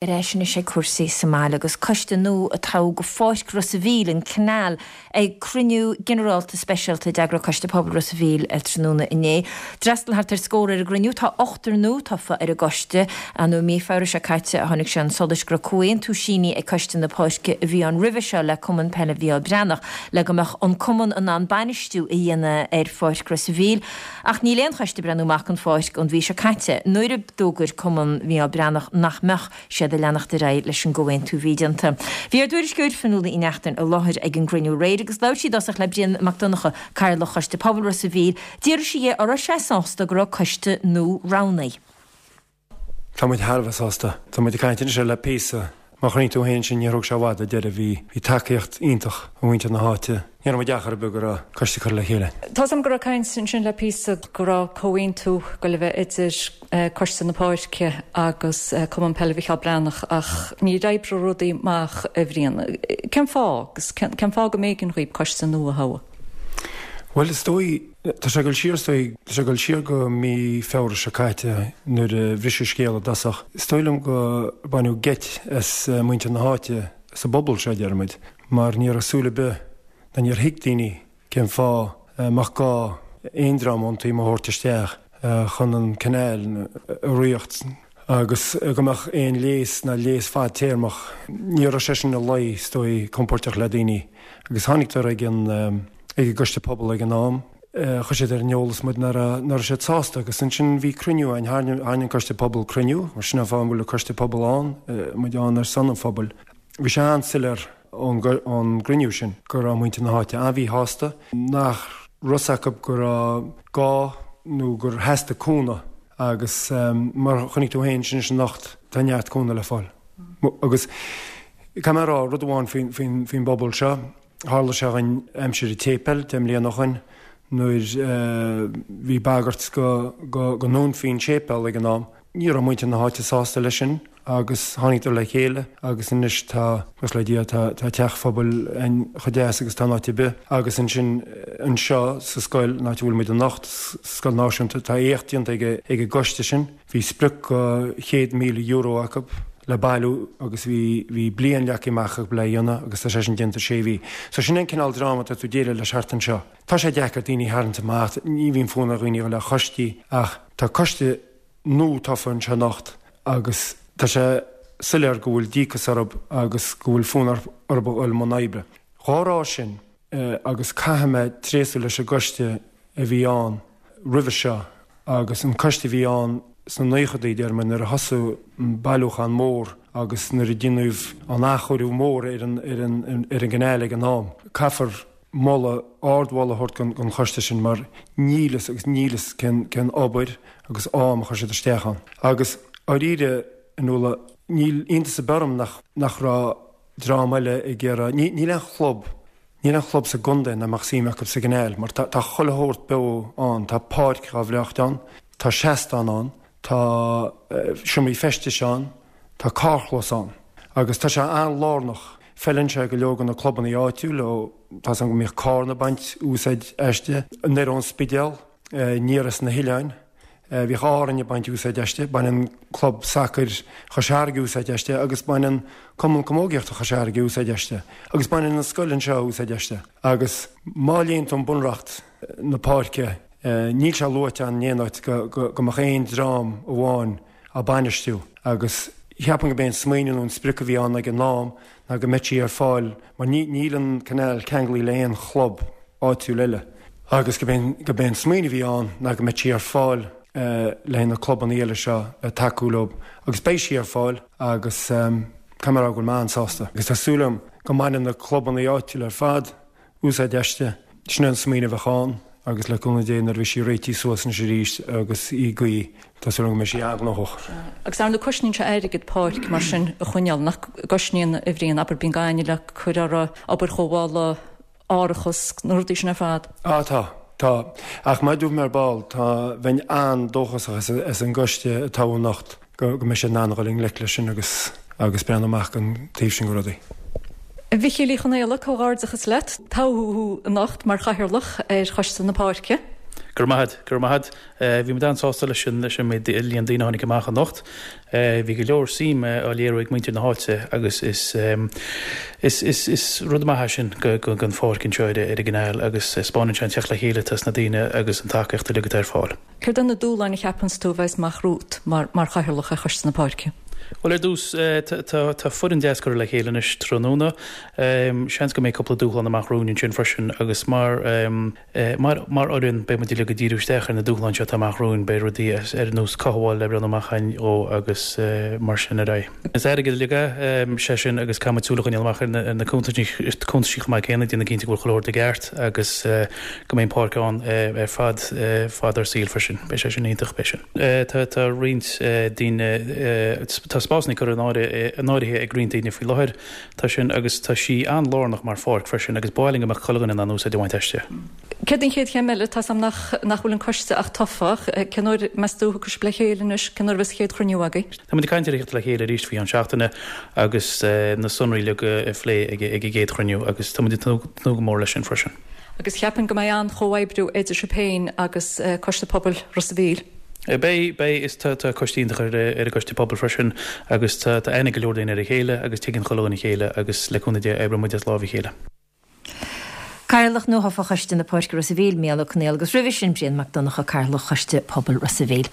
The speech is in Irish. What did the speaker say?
Ar ais anois ag cúrsaí sa mbaile agus coiste nua a toghadh go Pháirc Ros a' Mhíl, an Canal, ag cruinniú ginearálta speisialta a d'eagraigh Coiste Pobail Ros a' Mhíl tráthnóna inné. D'fhreastail thart ar scór ar an gcruinniú. Tá ochtar nua tofa ar an gcoiste. Nó i mí Feabhra seo caite a tháinig sé chun solais go raibh comhaontú sínithe ag Coiste na Páirce a bhí ann roimhe seo le Cumann Peile Mhícheál Breathnach le go mbeadh an cumann in ann bainistiú a dhéanamh ar Pháirc Ros a' Mhíl. Ach níl aon choiste ag breathnú amach don pháirc ón mhí seo caite, nuair a d'fhógair Cumann Mhícheál Breathnach nach mbeadh siad ag leanacht ar aghaidh leis an gcomhaontú a bhí déanta. Bhí ár dtuairisceoir Fionnuala Uí Neachtain i láthair ag an gcruinniú aréir agus labhair sí i dtosach le Brian Mac Donncha, Cathaoirleach Choiste Pobail Ros a' Mhíl. D'fhiafraigh sí dhe an raibh sé sásta go raibh coiste nua roghnaithe. Tá muid thar a bheith sásta. Tá muid ag caint anois air le píosa. Mar a chonaic tú féin sin, níor thóg sé i bhfad ar deireadh. Bhí, bhí tacaíocht iontach ó mhuintir na háite. Ní raibh muid achar ar bith go raibh coiste curtha le chéile. Tá's agam go raibh caint ansin le píosa go raibh comhaontú ag goil a bheith idir Coiste na Páirce agus Cumann Peile Mhicheál Breathnach ach níor oibrigh rudaí amach, a Bhriain. Cén fáth agus cén fáth go mb'éigean dhaoib coiste nua a thoghadh? Bhuel, is dóigh, Tá sé ag dul siar, is dóigh, tá sé ag dul siar go mí Feabhra seo caite nuair a bhris an scéal i dtosach. Is dóigh liom go baineadh geit as muintir na háite, as an bpobal seo, deir muid, mar ní raibh súil ar bith ná níor thuig daoine cén fáth a mbeadh gá aon dream ón taobh amuigh a thabhairt isteach chun an canal a ritheacht agus go mbeadh aon léas ná léas fadtéarmach. Ní raibh sé sin ina luí, is dóigh, compóirteach le daoine. Agus tháinig ag an ag an gcoiste pobail ag an am, chuir siad ar an eolas muid nach raibh nach raibh siad sásta agus ansin bhí cruinniú ann, tharraing an coiste pobail cruinniú, mar sin an fáth an bhfuil an coiste pobail ann, muid ann ar son an phobail. Bhí sé an-soiléir ón ón gcruinniú sin go raibh muintir na háite an-mhíshásta, nach raibh fhios acu go raibh gá nó gur theastaigh cúnamh agus mar a chonaic tú féin sin anocht tá neart cúnamh le fáil. Agus caithfidh mé a rá rud amháin faoin bpobal seo, tharla sé dhuinn aimsir an tséipéil 10 mbliana ó shoin nuair bhí bagairt go ndúnfaí an séipéal ag an am. Ní raibh muintir na háite sásta leis sin agus tháinig le chéile agus anois tá, buíochas le Dia, tá teach phobail ann chomh deas agus atá in áit ar bith. Agus ansin anseo sa scoil, an áit a bhfuil muid anocht, Scoil Náisiúnta, tá éacht déanta ag an gcoiste sin. Bhí sprioc €100,000 acu le bailiú agus bhí bhí bliain leagtha amach acu le dhéanamh agus tá sé sin déanta sé mhí. So sin an cineál dream atá tú ag déileáil leis thart anseo. Tá sé deacair daoine a tharraingt amach, ní bhíonn fonn ar dhaoine a dhul le coistí ach tá coiste nua tofa anseo anocht agus tá sé soiléir go bhfuil díocas orthu agus go bhfuil fonn orthu a dhul i mbun oibre. Dhá rá sin, agus caithfidh mé tréaslú leis an gcoiste a bhí ann roimhe seo agus an coiste a bhí ann sna naochadaí, déarfaidh mé, nuair a thosaigh an bailiúchán mór agus nuair a déanadh an athchóiriú mór ar an ar an ar an gcanáil ag an am. Caithfear moladh, ardmholadh a thabhairt don choiste sin mar níl fhios agus níl fhios cén cén obair agus am a chuir siad isteach ann. Agus dáiríre, a Nuala, níl iontas ar bith orm nach nach raibh dream eile ag iarraidh, níl aon chlub, níl aon chlub sa gcontae nach mbeadh suim acu sa gcanáil mar tá tá chuile shórt beo ann, tá páirc dhá bhreácht ann, tá seastán ann, tá seomraí feistis ann, tá carrchlós ann agus tá sé an-lárnach. Feileann sé go leor de na clubanna áitiúil ó tá's agam go mbíodh Cárna ag baint úsáid aisti, anoir ón Spidéal, aniar as na hoileáin. Bhíodh Árainn ag baint úsáid aisti, baineann Club Sacair Chois Fharraige úsáid aisti agus baineann Cumann Camógaíochta Chois Fharraige úsáid aisti agus baineann an scoil anseo úsáid aisti. Agus má léann tú an Bunreacht na páirce, níl sé luaite ann in aon áit go mbeadh aon dream amháin á bainistiú agus cheapfainn gurb é an smaoineamh nó an sprioc a bhí ann ag an am ná go mbeadh sí ar fáil mar níl an canal ceanglaithe le haon chlub áitiúil eile agus gurb é an smaoineamh a bhí ann ná go mbeadh sí ar fáil le haghaidh na clubanna eile seo le tacú leo agus beidh sí ar fáil agus caithfidh mé a rá go bhfuil mé an-sásta agus tá súil agam go mbainfidh na clubanna áitiúla ar fad úsáid aisti. Sin é an smaoineamh a bheadh ann agus le cúnamh Dé nuair a bheidh sí réitithe suas anois arís agus í ag guí, tá súil agam go mbeidh sí an-ghnóthach. Agus ar ndóigh cosnaíonn sé airgead páirc mar sin a choinneáil, nach gcosnaíonn a Bhriain, abair bíonn gaineamh le cur uirthi, obair chothabhála, árachas, na rudaí sin ar fad. Á tá, tá. Ach mar a dúirt mé ar ball, tá, bheinn an-dóchasach as an gcoiste a toghadh anocht go mbeidh siad in ann a dhul i ngleic leis sin agus agus breathnú amach don taobh sin de rudaí. A Mhichíl Uí Chonaola, comhghairdeachas leat. Toghadh thú anocht mar Chathaoirleach ar Choiste na Páirce. Go raibh maith agat, go raibh maith agat. Bhí muid an-sásta leis an leis an méid líon daoine a tháinig amach anocht. Bhí go leor suim á léiriú ag muintir na háite agus is is is is rud maith é sin go go don pháirc anseo ar ar an gCanáil agus spáineann sé an teacht le chéile atá sna daoine agus an tacaíocht uilig atá ar fáil. Céard é na dúshláin a cheapanns tú a bheas amach romhat mar mar chathaoirleach ar Choiste na Páirce? Bhuel ar dtús tá tá foireann deas curtha le chéile anois tráthnóna. Seans go mbeidh cúpla dúshlán amach romhainn ansin freisin agus mar Mar fhoireann, beidh muid uilig ag díriú isteach ar na dúshláin seo atá amach romhainn, beidh rudaí ar nós cothabháil le breathnú amach againn dhó agus mar sin ar aghaidh. Is airgead uilig é, sé sin, agus caithfidh muid súil a choinneáil amach ar na cuntaisí chomh maith céanna, déanamh cinnte go bhfuil chuile shórt i gceart agus go mbeidh an pháirc ann ar fad fad ár saoil freisin. Beidh sé sin iontach, beidh sin. Tá roinnt daoine, tá spásanna curtha in áirithe ag roinnt daoine faoi láthair. Tá sin agus tá sí an-lárnach mar pháirc freisin agus ba mhaith linn go mbeadh chuile dhuine in ann úsáid a bhaint aisti. Céard an chéad chéim eile? Tá's a'm nach nach bhfuil an coiste ach tofa ach cén uair, meas tú, thiocfaidh sibh le chéile anois, cén uair a bheas an chéad chruinniú agaibh? Tá muid ag caint ar a theacht le chéile arís faoi cheann seachtaine agus na sonraí uilig a phlé ag an gcéad chruinniú agus tá muid ag tnúth go mór leis sin freisin. Agus cheapfainn go mbeidh an-chomhoibriú idir sibh féin agus Coiste Pobail Ros a' Mhíl. Beidh, beidh. Is tá, tá coiste iontach ar, ar an gcoiste pobail freisin agus tá, tá aithne ag go leor daoine ar a chéile agus tuigeann chuile dhuine a chéile agus le cúnamh Dé oibreoidh muid as láimh a chéile. Cathaoirleach nuathofa Choiste na Páirce Ros a' Mhíl, Mícheál Ó Conghaile agus roimhe sin Brian Mac Donncha, Cathaoirleach Choiste Pobail Ros a' Mhíl.